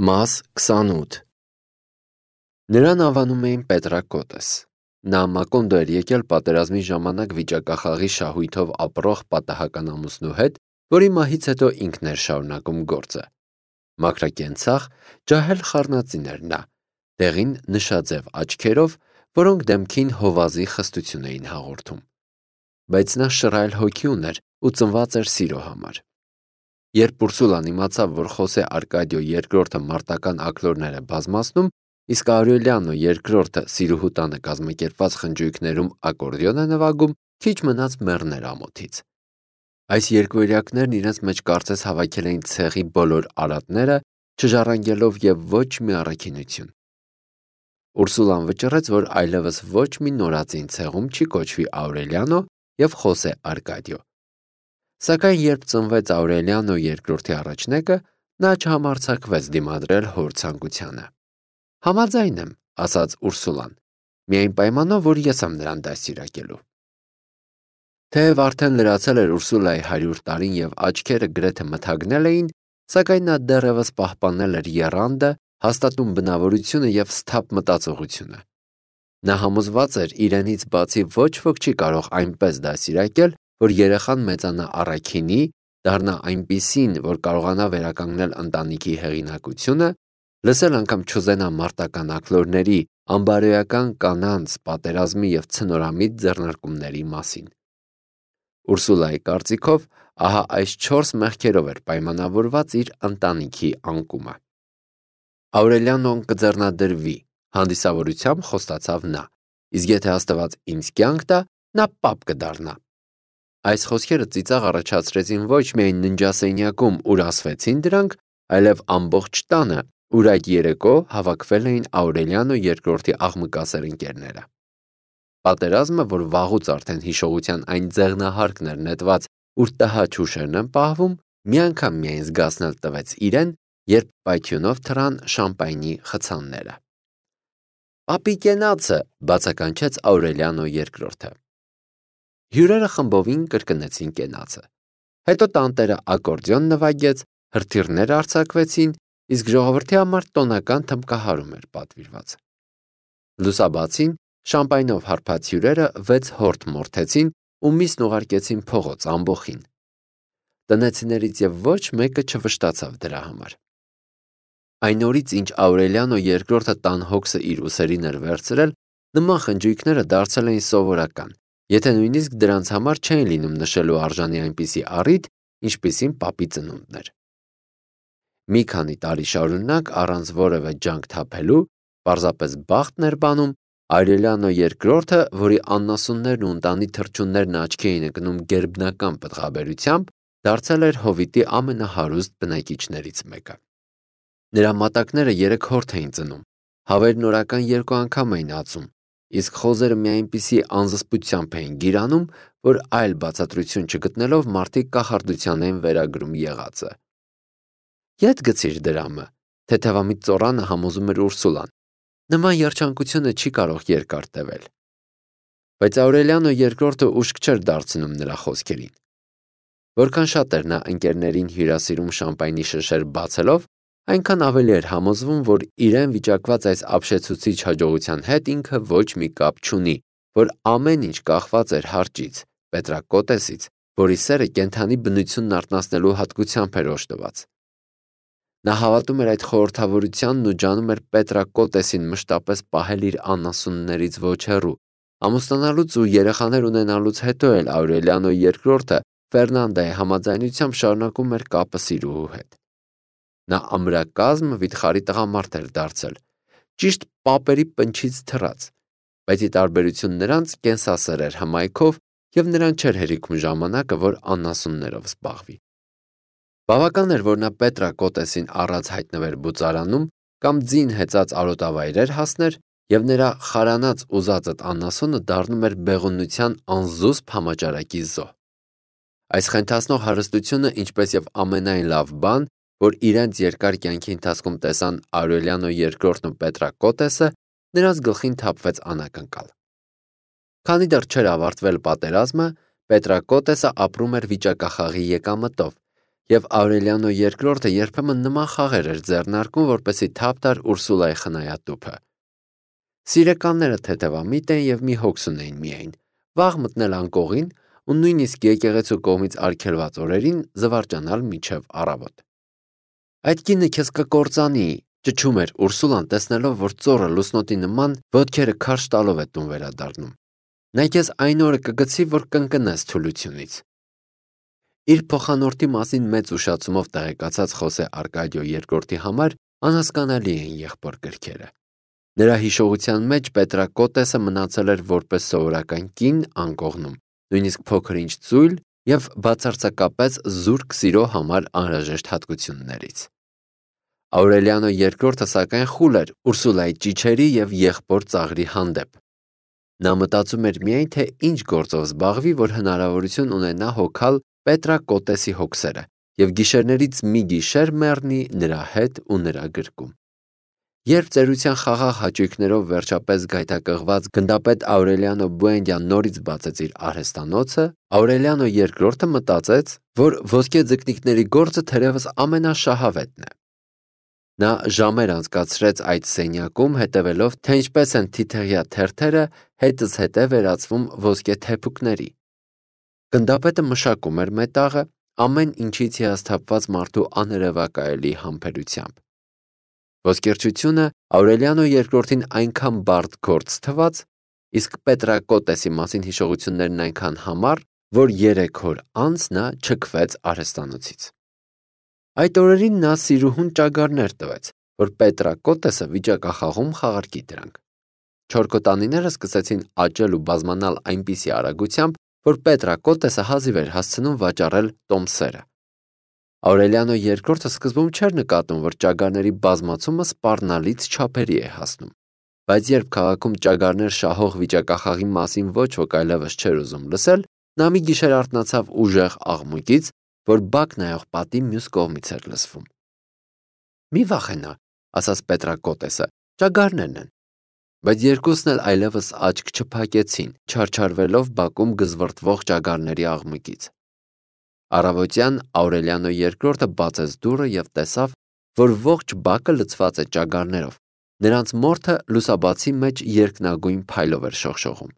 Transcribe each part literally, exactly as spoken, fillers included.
Մաս քսանութ Նրան անվանում էին Պետրակոտես։ Նա Մակոնդո էր եկել պատերազմի ժամանակ վիճակախաղի շահույթով ապրող պատահական ամուսնու հետ, որի մահից հետո ինքն էր շարունակում գործը։ Մաքրակենցաղ, ջահել խառնածին էր նա, դեղին նշաձև աչքերով, որոնք դեմքին հովազի խստություն էին հաղորդում։ Բայց նա շռայլ հոգի ուներ ու ծնված էր սիրո համար։ Երբ Ուրսուլան իմացավ, որ Խոսե Արկադիո երկրորդը մարտական աքլորներ է բազմացնում, իսկ Աուրելիանո երկրորդը սիրուհու տանը կազմակերպված խնջույքներում ակորդեոն է նվագում, քիչ մնաց մեռներ ամոթից։ Այս երկվորյակներն իրենց մեջ կարծես հավաքել էին ցեղի բոլոր արատները, չժառանգելով եւ ոչ մի առաքինություն։ Ուրսուլան վճռեց, որ այլևս ոչ մի նորածին ցեղում չի կոչվի Աուրելիանո եւ Խոսե Արկադիո։ Սակայն երբ ծնվեց Աուրելիանո երկրորդի առաջնեկը, նա չհամարձակվեց դիմադրել հոր ցանկությանը։ Համաձայն եմ, ասաց Ուրսուլան, միայն պայմանով, որ ես եմ նրան դաստիարակելու։ Թեև արդեն լրացել էր Ուրսուլայի հարյուր տարին եւ աչքերը գրեթե մթագնել էին, սակայն նա դեռևս պահպանել էր եռանդը, հաստատուն բնավորությունը եւ սթափ մտածողությունը։ Նա համոզված էր իրենից բացի ոչ ոք չի կարող այնպես դաստիարակել, որ երեխան մեծանա առաքինի, դառնա այնպիսին, որ կարողանա վերականգնել ընտանիքի հեղինակությունը, լսել անգամ չուզենա մարտական աքլորների, անբարոյական կանանց, պատերազմի եւ ցնորամիտ ձեռնարկումների մասին։ Ուրսուլայի կարծիքով, ահա այս չորս մեղքերով էր պայմանավորված իր ընտանիքի անկումը։ Աուրելիանոն կձեռնադրվի, հանդիսավորությամբ խոստացավ նա, իսկ եթե Աստված ինձ կյանք տա, նա պապ կդառնա։ Այս խոսքերը ծիծաղ առաջացրեցին ոչ միայն ննջասենյակում, ուր ասվեցին դրանք, այլև ամբողջ տանը, ուր այդ երեկո հավաքվել էին Աուրելիանո երկրորդի աղմկասեր ընկերները։ Պատերազմը, որ վաղուց արդեն հիշողության այն ձեղնահարկն էր նետված, ուր տհաճ հուշերն են պահվում, մի անգամ միայն զգացնել տվեց իրեն, երբ պայթյունով թռան շամպայնի խցանները։ «Պապի կենացը», բացականչեց Աուրելիանո երկրորդը։ Հյուրերը խմբովին կրկնեցին կենացը։ Հետո տանտերը ակորդեոն նվագեց, հրթիռներ արձակվեցին, իսկ ժողովրդի համար տոնական թմբկահարում էր պատվիրված։ Լուսաբացին շամպայնով հարբած հյուրերը վեց հորթ մորթեցին ու միսն ուղարկեցին փողոց ամբոխին։ Տնեցիներից եւ ոչ մեկը չվշտացավ դրա համար։ Այն օրից, ինչ Աուրելիանո երկրորդը տան հոգսը իր ուսերին էր վերցրել, նման խնջույքները դարձել էին սովորական, եթե նույնիսկ դրանց համար չէին լինում նշելու արժանի այնպիսի առիթ, ինչպիսին պապի ծնունդն էր։ Մի քանի տարի շարունակ առանց որևէ ջանք թափելու, պարզապես բախտն էր բանում, Աուրելիանո երկրորդը, որի աննասուններն ու ընտանի թռչուններն աչքի էին ընկնում գերբնական պտղաբերությամբ, դարձել էր հովիտի ամենահարուստ բնակիչներից մեկը։ Նրա մատակները երեք հորթ էին ծնում, հավերն օրական երկու անգամ էին ածում, իսկ խոզերը մի այնպիսի անզսպությամբ էին գիրանում, որ այլ բացատրություն չգտնելով մարդիկ կախարդության էին վերագրում եղածը։ Ետ գցիր դրամը, թեթևամիտ ծոռանը համոզում էր Ուրսուլան։ Նման երջանկությունը չի կարող երկար տևել։ Բայց Աուրելիանո երկրորդը ուշք չէր դարձնում նրա խոսքերին։ Որքան շատ էր նա ընկերներին հյուրասիրում շամպայնի շշեր բացելով, այնքան ավելի էր համոզվում, որ իրեն վիճակված այս ապշեցուցիչ հաջողության հետ ինքը ոչ մի կապ չունի, որ ամեն ինչ կախված էր հարճից, Պետրակոտեսից, որի սերը կենդանի բնությունն արթնացնելու հատկությամբ էր օժտված։ Նա հավատում էր այդ խորհրդավորությանն ու ջանում էր Պետրակոտեսին մշտապես պահել իր անասուններից ոչ հեռու, ամուսնանալուց ու երեխաներ ունենալուց հետո էլ Աուրելիանո երկրորդը Ֆերնանդայի համաձայնությամբ շարունակում էր կապը սիրուհու հետ։ Նա ամրակազմ վիթխարի տղամարդ էր դարձել, ճիշտ պապերի պնչից թռած, բայց ի տարբերություն նրանց կենսասեր էր հմայքով եւ նրան չէր հերիքում ժամանակը, որ անասուններով զբաղվի։ Բավական էր, որ նա Պետրակոտեսին առած հայտնվեր բուծարանում կամ ձին հեծած արոտավայրեր հասներ եւ նրա խարանած ուզածդ անասունը դառնում էր բեղունության անզուսպ համաճարակի զոհ։ Այս խենթացնող հարստությունը, ինչպես եւ ամենայն լավ բան, որ իրենց երկար կյանքի ընթացքում տեսան Աուրելիանո երկրորդն ու Պետրակոտեսը, նրանց գլխին թափվեց անակնկալ։ Քանի դեռ չէր ավարտվել պատերազմը, Պետրակոտեսը ապրում էր վիճակախաղի եկամտով Եվ Աուրելիանո երկրորդը երբեմն նման խաղեր էր ձեռնարկում, որպեսզի թափ տար Ուրսուլայի խնայատուփը։ Սիրեկանները թեթևամիտ են եւ մի հոգս ունեին միայն՝ վաղ մտնել անկողին ու նույնիսկ եկեղեցու կողմից արգելված օրերին զվարճանալ մինչև առավոտ։ Այդ կինը քեզ կկործանի, ճչում էր Ուրսուլան, տեսնելով, որ ծոռը լուսնոտի նման ոտքերը քարշ տալով է տուն վերադառնում։ Նա քեզ այն օրը կգցի, որ կընկնես թուլությունից։ Իր փոխանորդի մասին մեծ ուշացումով տեղեկացած Խոսե Արկադիո երկրորդի համար անհասկանալի էին եղբոր գրքերը։ Նրա հիշողության մեջ Պետրակոտեսը մնացել էր որպես սովորական կին անկողնում, նույնիսկ փոքր-ինչ ծույլ եւ բացարձակապես զուրկ սիրո համար անհրաժեշտ հատկություններից։ Աուրելիանո երկրորդը սակայն խուլ էր Ուրսուլայի ճիչերի եւ եղբոր ծաղրի հանդեպ։ Նա մտածում էր միայն, թե ինչ գործով զբաղվի, որ հնարավորություն ունենա հոգալ Պետրակոտեսի հոգսերը եւ գիշերներից մի գիշեր մեռնի նրա հետ ու նրա գրկում։ Երբ ծերության խաղաղ հաճույքներով վերջապես գայթակղված գնդապետ Աուրելիանո Բուենդյան նորից բացեց իր արհեստանոցը, Աուրելիանո երկրորդը մտածեց, որ ոսկե ձկնիկների գործը թերևս ամենաշահավետն է։ Նա ժամեր անցկացրեց այդ սենյակում, հետևելով, թե ինչպես են թիթեղյա թերթերը հետզհետե հետե վերածվում ոսկե թեփուկների։ Գնդապետը մշակում էր մետաղը ամեն ինչից հիասթափված մարդու աներևակայելի համբերությամբ։ Ոսկերչությունը Աուրելիանո երկրորդին այնքան բարդ գործ թվաց, իսկ Պետրակոտեսի մասին հիշողություններն այնքան համառ, որ երեք օր անց նա չքվեց արհեստանոցից։ Այդ օրերին նա սիրուհուն ճագարներ տվեց, որ Պետրակոտեսը վիճակախաղում խաղարկի դրանք։ Չորքոտանիները սկսեցին աճել ու բազմանալ այնպիսի արագությամբ, որ Պետրակոտեսը հազիվ էր հասցնում վաճառել տոմսերը։ Աուրելիանո երկրորդը սկզբում չէր նկատում, որ ճագարների բազմացումը սպառնալից չափերի է հասնում, բայց երբ քաղաքում ճագարներ շահող վիճակախաղի մասին ոչ ոք այլևս չէր ուզում լսել, նա մի գիշեր արթնացավ ուժեղ աղմուկից, որ բակ նայող պատի մյուս կողմից էր լսվում։ «Մի վախենա», ասաց Պետրակոտեսը, ճագարներն են։ Բայց երկուսն էլ այլևս աչք չփակեցին, չարչարվելով բակում գզվռտվող ճագարների աղմուկից։ Առավոտյան Աուրելիանո երկրորդը բացեց դուռը եւ տեսավ, որ ողջ բակը լցված է ճագարներով։ Նրանց մորթը լուսաբացի մեջ երկնագույն փայլով էր շողշողում։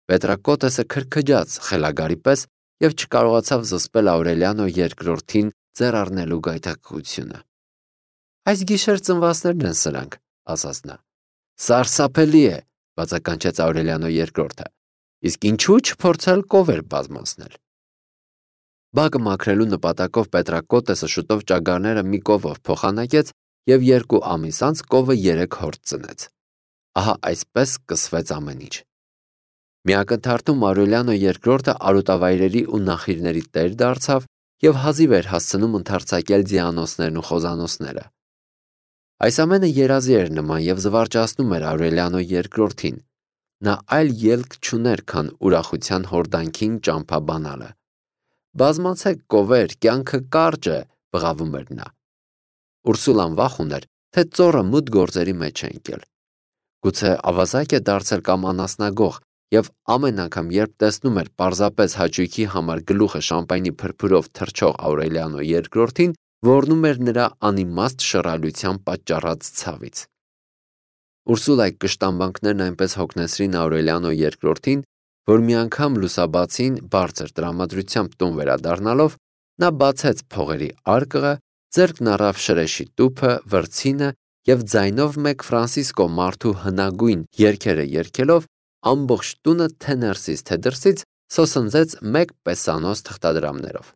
Պետրակոտեսը քրքջաց խելագարի պես եւ չկարողացավ զսպել Աուրելիանո երկրորդին ձեռ առնելու գայթակղությունը։ «Այս գիշեր ծնվածներն են սրանք», ասաց նա։ «Սարսափելի է», բացականչեց Աուրելիանո երկրորդը։ «Իսկ ինչու՞ չփորձել կովեր բազմացնել»։ Բակը մաքրելու նպատակով Պետրակոտեսը շուտով ճագարները մի կովով փոխանակեց եւ երկու ամիս անց կովը երեք հորձ ծնեց։ Ահա այսպես սկսվեց ամեն ինչ։ Մի ակնթարթում Աուրելիանո երկրորդը արոտավայրերի ու նախիրների տեր դարձավ եւ հազիվ էր հասցնում ընդարձակել ձիանոցներն ու խոզանոցները։ Այս ամենը երազի էր նման եւ զվարճացնում էր Աուրելիանո երկրորդին։ Նա այլ ելք չուներ, քան ուրախության հորդանքին ճամփա բանալը։ «Բազմացեք կովեր, կյանքը կարճ է», բղավում էր նա։ Ուրսուլան վախ ուներ, թե ծոռը մութ գործերի մեջ է ընկել։ Գուցե ավազակ է դարձել կամ անասնագող, եւ ամեն անգամ, երբ տեսնում էր պարզապես հաճույքի համար գլուխը շամպայնի փրփուրով թրջող Աուրելիանո երկրորդին, ոռնում էր նրա անիմաստ շռայլության պատճառած ցավից։ Ուրսուլայի կշտամբանքներն այնպես հոգնեցրին Աուրելիանո երկրորդին, որ մի անգամ լուսաբացին բարձր տրամադրությամբ տուն վերադառնալով, նա բացեց փողերի արկղը, ձեռքն առավ շրեշի տուփը, վրձինը եւ ձայնով մեկ Ֆրանսիսկո մարդու հնագույն երգերը երգելով ամբողջ տունը թե ներսից թե դրսից սոսնձեց մեկ պեսանոց թղթադրամներով։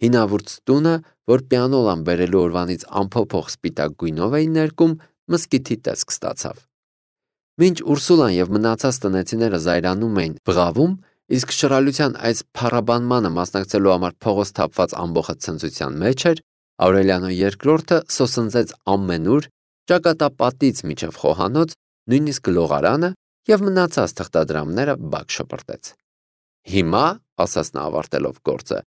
Հինավուրց տունը, որ պիանոլան բերելու օրվանից անփոփոխ սպիտակ գույնով էին ներկում, մզկիթի տեսք ստացավ։ Մինչ Ուրսուլան եւ մնացած տնեցիները զայրանում էին, բղավում, իսկ շռայլության այս փառաբանմանը մասնակցելու համար փողոց թափված ամբողջ ցնծության մեջ էր, Աուրելիանո երկրորդը սոսնձեց ամենուր, ճակատապատից մինչև խոհանոց, նույնիսկ լողարանը եւ մնացած թղթադրամները բակ շպրտեց։ «Հիմա», ասաց նա ավարտելով գործը,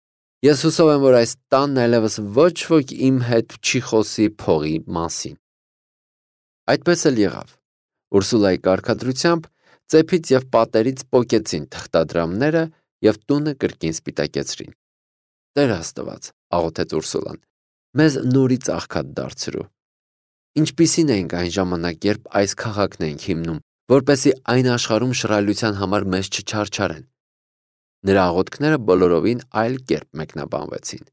«ես հուսով եմ, որ այս տանն այլևս ոչ ոք իմ հետ չի խոսի փողի մասին»։ Այդպես էլ եղավ։ Ուրսուլայի կարգադրությամբ ծեփից եւ պատերից պոկեցին թղթադրամները եւ տունը կրկին սպիտակեցրին։ Տեր Աստված, աղոթեց Ուրսուլան, մեզ նորից աղքատ դարձրու։ Ինչպիսին էինք այն ժամանակ, երբ այս քաղաքն էինք հիմնում, որպեսզի այն աշխարհում շռայլության համար մեզ չչարչարեն։ Նրա աղոթքները բոլորովին այլ կերպ մեկնաբանվեցին։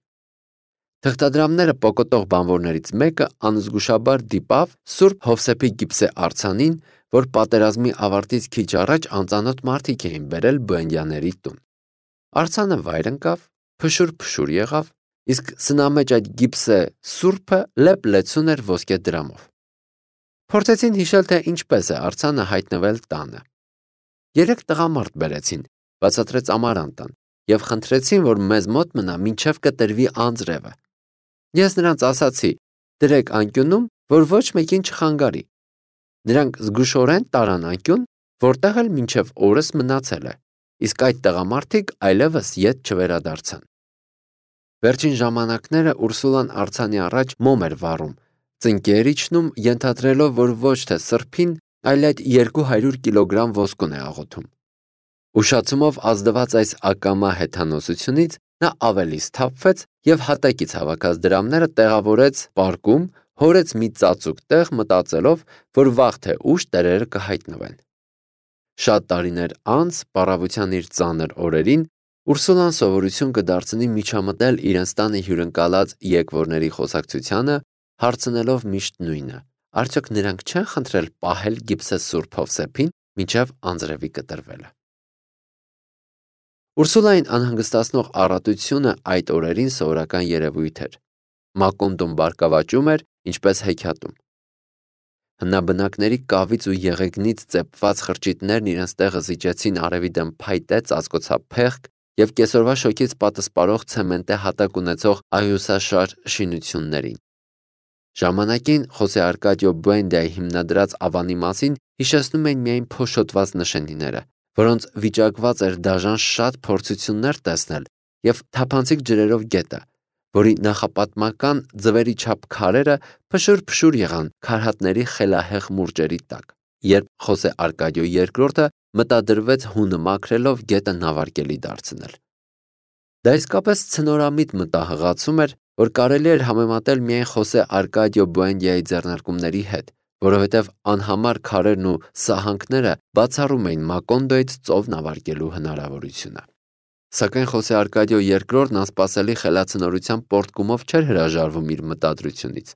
Թղթադրամները պոկոտող բանվորներից մեկը անզգուշաբար դիպավ Սուրբ Հովսեփի գիպսե արձանին, որ պատերազմի ավարտից քիչ առաջ անծանոթ մարդիկ էին բերել Բուենդյաների տուն։ Արձանը վայր ընկավ, փշուր-փշուր եղավ, իսկ սնամեջ այդ գիպսե սուրբը լեփ-լեցուն էր ոսկե դրամով։ Փորձեցին հիշել, թե ինչպես է արձանը հայտնվել տանը։ Երեք տղամարդ բերեցին, բացատրեց Ամարանտան, եւ խնդրեցին, որ մեզ մոտ մնա մինչև կտրվի անձրևը։ Ես նրանց ասացի. դրեք անկյունում, որ ոչ մեկին չխանգարի։ Նրանք զգուշորեն տարան անկյուն, որտեղ էլ մինչև օրս մնացել է, իսկ այդ տղամարդիկ այլևս ետ չվերադարձան։ Վերջին ժամանակները Ուրսուլան արձանի առաջ մոմ էր վառում, ծնկեր իջնում, ենթադրելով, որ ոչ թե սրբին, այլ այդ երկու հարյուր կիլոգրամ ոսկուն է աղոթում։ Ուշացումով ազդված այս ակամա հեթանոսությունից նա ավելի սթափվեց եւ հատակից հավաքած դրամները տեղավորեց պարկում, հորեց մի ծածուկ տեղ, մտածելով, որ վաղ թե ուշ տերերը կհայտնվեն։ Շատ տարիներ անց, պառավության իր ծանր օրերին, Ուրսուլան սովորություն կդարձնի միջամտել իրենց տանը հյուրընկալած եկվորների խոսակցությանը, հարցնելով միշտ նույնը. արդյոք նրանք չեն խնդրել պահել գիպսե Սուրբ Հովսեփին մինչև անձրևի կտրվելը։ Ուրսուլային անհանգստացնող առատությունը այդ օրերին սովորական երևույթ էր։ Մակոնդոն բարգավաճում էր, ինչպես հեքիաթում։ Հնաբնակների կավից ու եղեգնից ծեփված խրճիթներն իրենց տեղը զիջեցին արևի դեմ փայտե ծածկոցափ փեղկ եւ կեսօրվա շոգից պատսպարող ցեմենտե հատակ ունեցող աղյուսաշար շինություններին։ Ժամանակին Խոսե Արկադիո Բուենդիայի հիմնադրած ավանի մասին հիշեցնում էին միայն փոշոտված նշանիները, որոնց վիճակված էր դաժան շատ փորձություններ տեսնել եւ թափանցիկ ջրերով գետը, որի նախապատմական ձվերի չափ քարերը փշուր-փշուր եղան քարհատների խելահեղ մուրճերի տակ, երբ Խոսե Արկադիո երկրորդը մտադրվեց հունը մաքրելով գետը նավարկելի դարձնել։ Դա իսկապես ցնորամիտ մտահղացում էր, որ կարելի էր համեմատել միայն Խոսե Արկադիո Բուենդիայի ձեռնարկումների հետ, որովհետև անհամար քարերն ու սահանքները բացառում էին Մակոնդոյից ծով նավարկելու հնարավորությունը։ Սակայն Խոսե Արկադիո երկրորդն անսպասելի խելացնորության պոռթկումով չէր հրաժարվում իր մտադրությունից։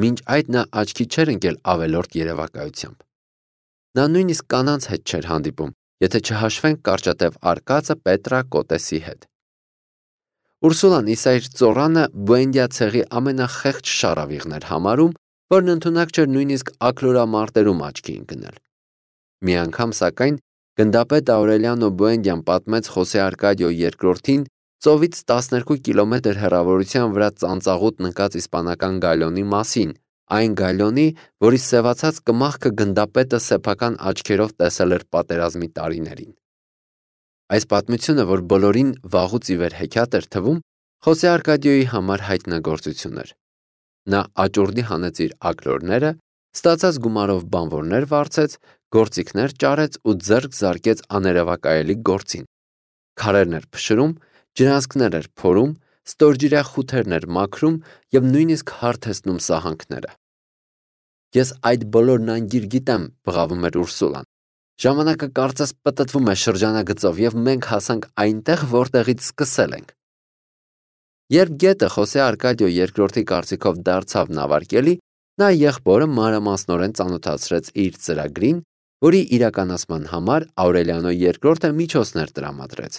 Մինչ այդ նա աչքի չէր ընկել ավելորդ երևակայությամբ։ Նա նույնիսկ կանանց հետ չէր հանդիպում, եթե չհաշվենք կարճատև արկածը Պետրա Կոտեսի հետ։ Ուրսուլան իսա իր ծոռանը Բուենդիա ցեղի ամենախեղճ շառավիղն էր համարում, որն ընդունակ չէր նույնիսկ աքլորամարտերում աչքի ընկնել։ Մի անգամ, սակայն, գնդապետ Աուրելիանո Բուենդիան պատմեց Խոսե Արկադիո երկրորդին ծովից տասներկու կիլոմետր հեռավորության վրա ծանծաղուտ նկած իսպանական գալյոնի մասին, այն գալյոնի, որի սևացած կմախքը գնդապետը սեփական աչքերով տեսել էր պատերազմի տարիներին։ Այս պատմությունը, որ բոլորին վաղուց ի վեր հեքիաթ էր թվում, Խոսե Արկադիոյի համար հայտնագործություն էր։ Նա աճուրդի հանեց իր աքլորները, ստացած գումարով բանվորներ վարձեց, գործիքներ ճարեց ու ձեռք զարկեց աներևակայելի գործին։ Քարերն էր փշրում, ջրանցքներ էր փորում, ստորջրյա խութերն էր մաքրում եւ նույնիսկ հարթեցնում սահանքները։ Ես այդ բոլորն անգիր գիտեմ, բղավում էր Ուրսուլան։ Ժամանակը կարծես պտտվում է շրջանագծով եւ մենք հասանք այնտեղ, որտեղից սկսել ենք։ Երբ գետը Խոսե Արկադիո երկրորդի կարծիքով դարձավ նավարկելի, նա եղբորը մանրամասնորեն ծանոթացրեց իր ծրագրին, որի իրականացման համար Աուրելիանո երկրորդը միջոցներ տրամադրեց։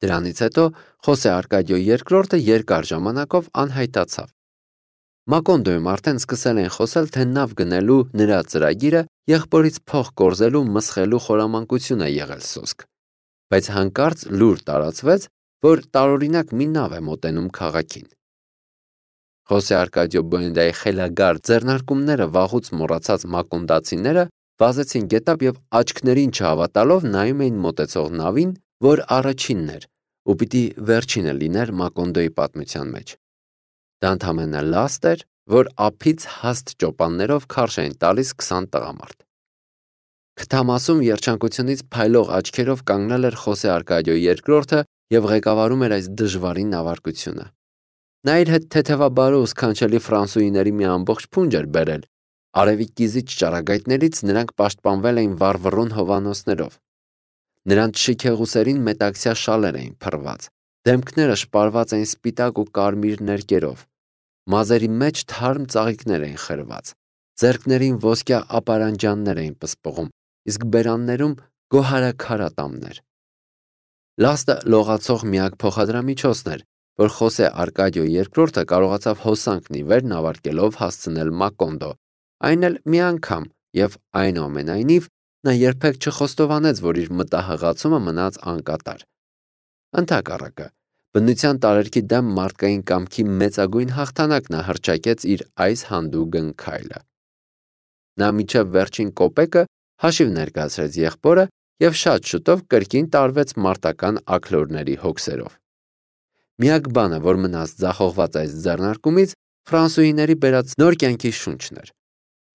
Դրանից հետո Խոսե Արկադիո երկրորդը երկար ժամանակով անհայտացավ։ Մակոնդոյում արդեն սկսել են խոսել, թե նավ գնելու նրա ծրագիրը եղբորից փող կորզելու մսխելու խորամանկություն է եղել սոսկ, բայց հանկարծ լուր տարածվեց, որ տարօրինակ մի նավ է մոտենում քաղաքին։ Խոսե Արկադիո Բուենդիայի խելագար ձեռնարկումները վաղուց մոռացած մակոնդացիները վազեցին գետապ եւ աչքներին չհավատալով նայում էին մոտեցող նավին, որ առաջինն էր ու պիտի վերջինը լիներ Մակոնդոյի պատմության մեջ։ Դա ընդամենը լաստ էր, որ ափից հաստ ճոպաններով քարշ էին տալիս քսան տղամարդ։ Քթամասում երջանկությունից փայլող աչքերով կանգնել էր Խոսե Արկադիո երկրորդը և ղեկավարում էր այս դժվարին նավարկությունը։ Նա իր հետ թեթևաբարո ու սքանչելի ֆրանսուհիների մի ամբողջ փունջ էր բերել։ Արևի կիզիչ ճառագայթներից նրանք պաշտպանվել էին վառվռուն հովանոցներով։ Նրանց շիքեղուսերին մետաքսյա շալեր էին փռված, դեմքները շպարված էին սպիտակ ու կարմիր ներկերով, մազերի մեջ թարմ ծաղիկներ էին խրված, ձեռքներին ոսկյա ապարանջաններ էին պսպղում, իսկ բերաններում գոհարաքարատամներ։ Լաստը լողացող միակ փոխադրամիջոցն էր, որ Խոսե Արկադիո երկրորդը կարողացավ հոսանքն ի վեր նավարկելով հասցնել Մակոնդո, այն էլ մի անգամ, և այնուամենայնիվ նա երբեք չխոստովանեց, որ իր մտահղացումը մնաց անկատար։ Ընդհակառակը, բնության տարերքի դեմ մարդկային կամքի մեծագույն հաղթանակ նա հռչակեց իր այս հանդուգն քայլը։ Նա մինչև վերջին կոպեկը հաշիվ ներկայացրեց եղբորը և շատ շուտով կրկին տարվեց մարտական աքլորների հոգսերով։ Միակ բանը, որ մնաց ձախողված այս ձեռնարկումից, ֆրանսուհիների բերած նոր կյանքի շունչն էր։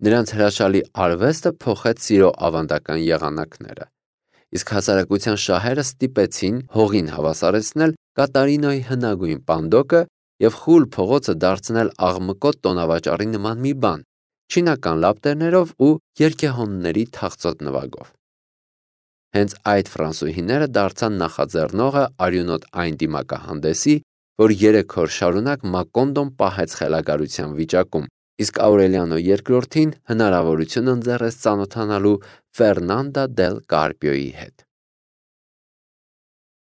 Նրանց հրաշալի արվեստը փոխեց սիրո ավանդական եղանակները, իսկ հասարակության շահերը ստիպեցին հողին հավասարեցնել Կատարինոյի հնագույն պանդոկը և խուլ փողոցը դարձնել աղմկոտ տոնավաճառի նման մի բան, չինական լապտերներով ու երգեհոնների թախծոտ նվագով։ Հենց այդ ֆրանսուհիները դարձան նախաձեռնողը արյունոտ այն դիմակահանդեսի, որ երեք օր շարունակ Մակոնդոն պահեց խելագարության վիճակում, իսկ Աուրելիանո երկրորդին հնարավորություն ընձեռեց ծանոթանալու Ֆերնանդա դել Կարպիոյի հետ։